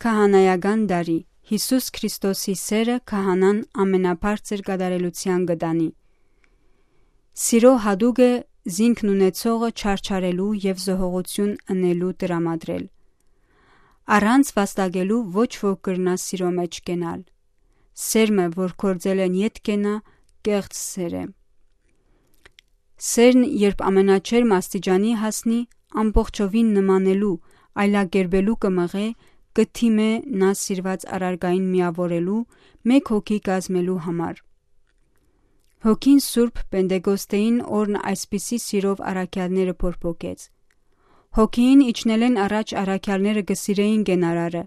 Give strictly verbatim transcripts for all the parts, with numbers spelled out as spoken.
Քահանայական տարի։ Յիսուս Քրիստոսի սերը քահանան ամենաբարձր կատարելութեան կը տանի։ Սիրո յատուկ է զինքն ունեցողը չարչարելու եւ զոհողություն ընելու տրամադրել։ Առանց վաստակելու ոչ ոք կրնայ սիրո մէջ կենալ։ Սերմը, որ գործել են ետ կենայ, կեղծ սեր է։ Սերն, երբ ամենաչերմ աստիճանի հասնի, ամբողջովին նմանելու, այլակերպելու կը մղէ, կը դիմէ նա սիրուած առարկային միաւորելու, մէկ հոգի կազմելու համար։ Հոգին Սուրբ Պենտեկոստէին օրն այսպիսի սիրով առաքեալները փորփոքեց։ Հոգիին իջնելէն առաջ առաքեալները կը սիրէին կենարարը,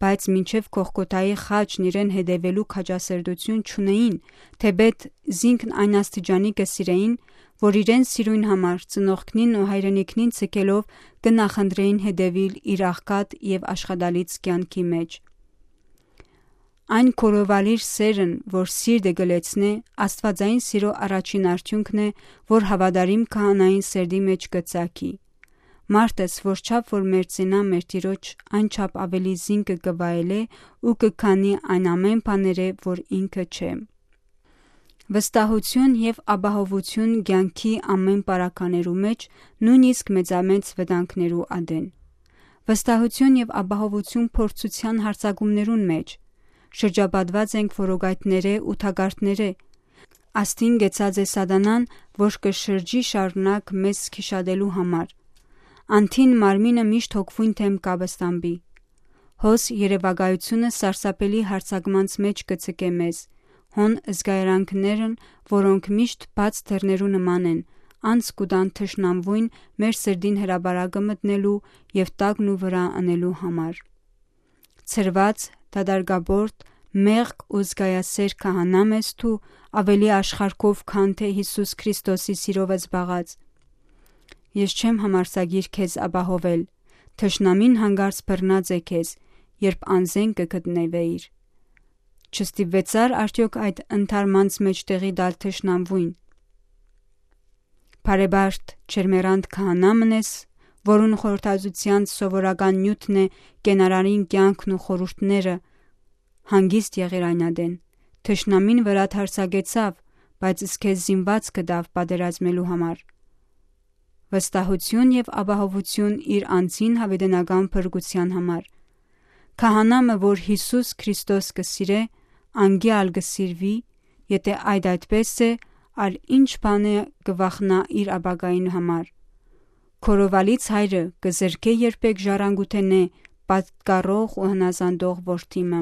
բայց մինչեւ Կողկոթայի խաչն իրեն հետեւելու քաջասերտություն չունէին, թէպէտ զինքն այն աստիճանի կը սիրէին, որ իրեն սիրոյն համար ծնողքնին ու հայրենիքնին ցկելով կը նախընտրէին հետեւիլ իր աղքատ եւ աշխատալից կեանքի մէջ։ Այն կորովալիր սերն, որ սիրտը կը լեցնէ, աստուածային սիրո առաջին արդիւնքն է, որ հաւատարիմ քահանային սերտի մէջ կը ծագի։ Մարդս, որչափ որ մերձենայ մեր Տիրոջ, այնչափ աւելի զինքը կը վայելէ ու կը քանի այն ամէն բաներէ, որ ինքը չէ։ Վստահութիւն եւ ապահովութիւն կեանքի ամէն պարագաներու մէջ, նոյնիսկ մեծամեծ վտանգներու ատեն։ Վստահութիւն եւ ապահովութիւն փորձութեան յարձակումներուն մէջ։ Շրջապատուած ենք որոգայթներէ ու թակարդներէ։ Աստին կեցած է Սատանան, որ կը շրջի շարունակ մեզ քիշատելու համար։ Անդին մարմինը միշտ հոգւոյն դէմ կապստամբի։ Հոս երեւակայութիւնը սարսափելի յարձակմանց մէջ կը ցկէ մեզ, հոն զգայարանքներն, որոնք միշտ բաց դռներու նման են, անց կու տան թշնամուին մեր սրտին հրապարակը մտնելու եւ տակն ու վրայ ընելու համար։ Ցրուած, դատարկաբորդ, մեղք ու զգայասէր քահանա ես դու, աւելի աշխարհքով, քան թէ Յիսուս Քրիստոսի սիրովը զբաղած։ Ես չեմ համարձակիր քեզ ապահովել, թշնամին հանկարծ բռնած է քեզ, երբ անզէն կը գտնուէիր։ Չստիպուեցա՞ր արդեօք այդ ընդհարմանց մէջ տեղի տալ թշնամուին։ Բարեբարդ, չերմերանդ քահանա մըն ես, որուն խորհրդածութեան սովորական նիւթն է կենարարին կեանքն ու խորհուրդները, հանգիստ եղիր այն ատեն։ Թշնամին վրադ յարձակեցաւ, բայց զքեզ զինուած կտաւ պատերազմելու համար։ Վստահութիւն եւ ապահովութիւն իր անձին յաւիտենական փրկութեան համար։ Քահանա մը, որ Յիսուս Քրիստոս կը սիրէ, անկի ալ կը սիրուի, եթէ այդ այդպէս է, ալ ինչ բան է կը վախնայ իր ապագային համար։ Կորովալից հայրը կը զրկէ երբեք ժառանգութենէ պատկառող ու հնազանդող որդի մը։